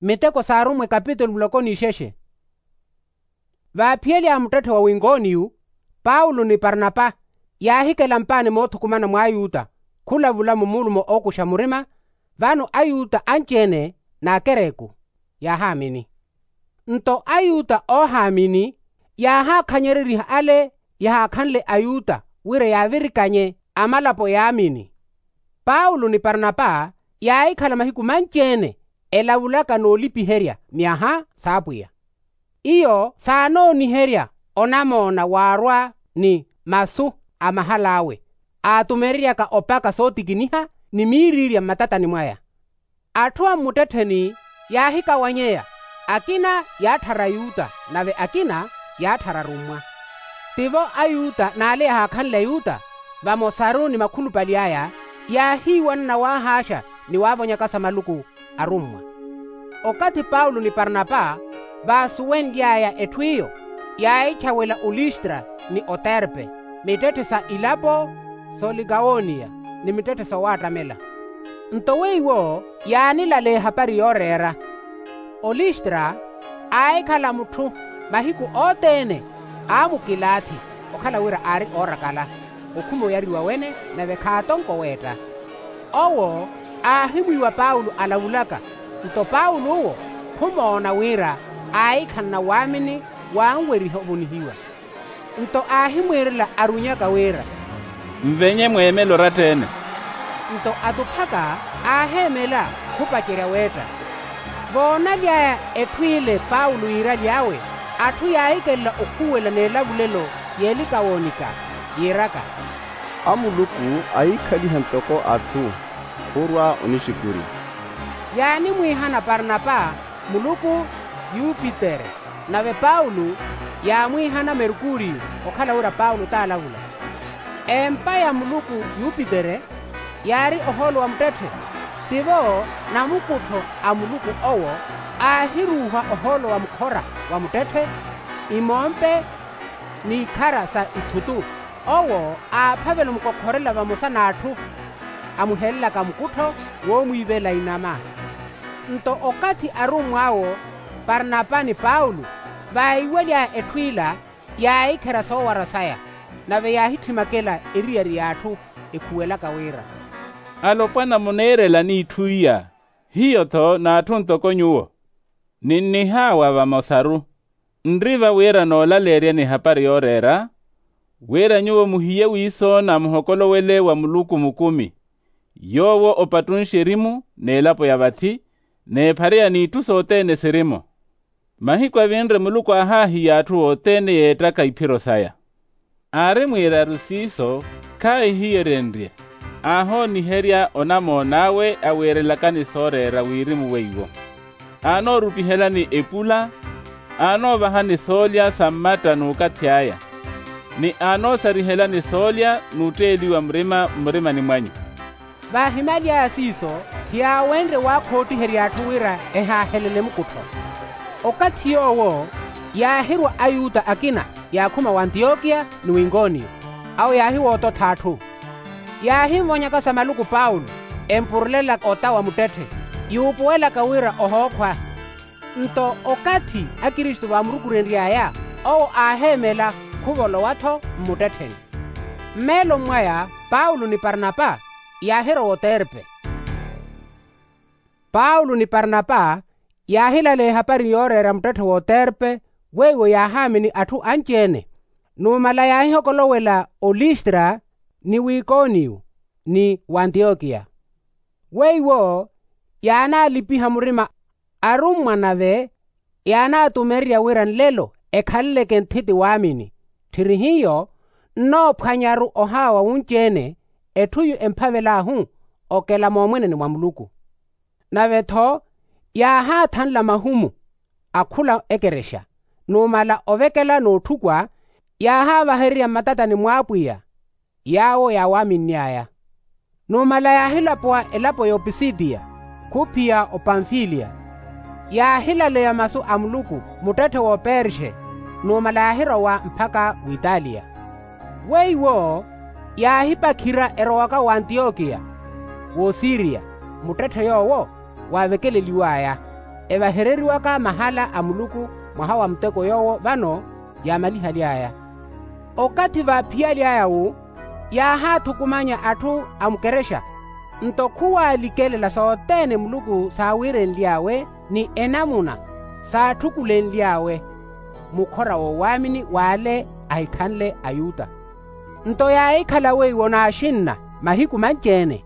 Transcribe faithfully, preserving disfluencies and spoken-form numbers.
Miteko s'arummwa ekapitulu muloko n'ixexe. Vaaphiyelyaaya muttetthe wa winkoniyu, paulo ni parnapa yaahikela mpaani moothukumana mw'ayuta khulavula mumulumo ookuxa murima. Vano ayuta anci-ene n'akereku yaahaamini. Nto ayuta oohaamini yaahaakhanyereriha ale yahaakhanle ayuta wira yaavirikanye amalapo yaamini. Paulo ni parnapa yaahikhala mahiku manci-ene elavulaka n'ulipiherya myaha s'apwiya. Iyo saanooniherya onamoona waarwa ni masu a mahal'awe aatumereryaka opaka sootikiniha ni miiriirya mmatatani mwaya. Atthu a mmuttettheni yaahikawanyeya, akina yaatthara ayuta nave akina yaatthara arummwa. Tivo ayuta n'ale yahaakhanle ayuta vamosaru ni makhulupale aya yaahiiwanana waahaaxa ni waavonyakasa maluku arummwa. Okathi paulo ni parnapa vaasuwenly'aya etthu iyo, yaahitthawela olistra ni oterpe, mittetthe sa ilapo s'olikawoniya ni mittetthe sowaattamela. Nto weiwo yaanilaleya ehapari yooreera. Olistra aahikhala mutthu mahiku othene aamukilaathi, okhala wira aari oorakala okhuma oyariwa wene nave khaatonko weetta. Owo aahimwiiwa paulo alavulaka. Nto paulo owo khumoona wira aahikhanana waamini waanweriha ovonihiwa. Nto aahimwiirela arunyaka wira, nvenye mweemele oratta-ene. Nto atuphaka aaheemela khupacerya weetta. Voonaly'aya etthu ile paulo yiiraly'awe, atthu yaahikelela okhuwela n'elavulelo y'elikawoonika yiiraka, a muluku ahiikhaliha ntoko atthu khurwa onixukurya. Yaanimwiihana parnapa muluku yupitere, nave paulo yaamwiihana merkuriyo okhala wira paulo t'alavula. Empa ya muluku yupitere yaari ohoolo wa muttetthe. Tivo namukuttho a muluku owo aahiruuha ohoolo wa mukhora wa muttetthe, imompe n'ikhara sa ithutu. Owo aaphavela omukokhorela vamosa n'atthu amuhelelaka mukuttho woomwiivela inama. Nto okathi arummw'awo parnapa ni paulo vaiwaly'aya etthu ila, yaahikherya soowara saya nave yaahittimakela eriyari y'atthu ekhuwelaka wira, alopwana muneerelani itthu iya? Hiyo-tho n'atthu ntoko nyuwo ninnihaawa vamosaru. Nri va wira noolaleeryani ehapari yooreera, wira nyuwo muhiye wiisoona muhokolowele wa muluku mukumi, yoowo opattunxe erimu n'elapo ya vathi, n'ephareya n'itthu sothene siri-mo. Mahiku avinre muluku aahaahiya atthu othene yeettaka iphiro saya. Aari mwiiraru siiso khaahihiyeryenrye, aahooniherya onamoon'awe awiirelakani sooreera wirimu weiwo. Aanoorupihelani epula, aanoovahani soolya sa mmatta n'ukathi aya, ni aanoosarihelani soolya n'utteeliwa murima mmurimani mwanyu. Vaahimaly'aya siiso, khiyaawenrye waakhootiherya atthu wira ehaahelele mukuttho. Okathi yoowo yaahirwa ayuta akina yaakhuma w'antiyokiya ni w'ikoniyo, awo yaahiwoototha atthu. Yaahimvonyakasa maluku paulo, empurulelaka ota wa muttetthe, yuupuwelaka wira ohookhwa. Nto okathi akristu vaamurukurenry'aya, owo aaheemela khuvolowa-tho mmuttettheni. Mmeeloni mwaya paulo ni parnapa yaahirowa oterpe. Paulo ni parnapa yaahilaleya ehapari yooreera muttetthe w'oterpe, weiwo yaahaamini atthu anci-ene. Numala yaahihokolowela olistra ni w'ikoniyo ni w'antiyokiya. Weiwo yaanaalipiha murima arummwa nave yaanaatumererya wira nlelo ekhaleleke nthiti waamini. Tthiri hiyo nnoophwanyaru ohaawa wunci-ene etthu yu emphavel'ahu okela moomweneni mwa muluku. Nave-tho yaahaathanla mahumu akhula ekerexa, numala ovekela n'utthukwa yaahaavahererya mmatatani mw'apwiya yaawo yaawaaminny'aya. Numala yaahilapuwa elapo y'opisidiya khuphiya opamfiliya. Yaahilaleya masu a muluku muttetthe w'operxe, numala yaahirowa mpakha w'italiya. Weiwo yaahipakhira erowaka w'antiyokiya w'osiriya, muttetthe yoowo waavekeleliw'aya. Evahereriwaka mahala a muluku mwaha wa muteko yoowo vano yaamalihaly'aya. Okathi vaaphiyaly'aya-wu yaahaathukumanya atthu a mukerexa. Nto khuwaalikelela sothene muluku saawiirenly'awe ni enamuna saatthukulenly'awe mukhora w'owaamini w'ale ahikhanle ayuta. Nto yaahikhala weiwo n'axinna mahiku manci-ene.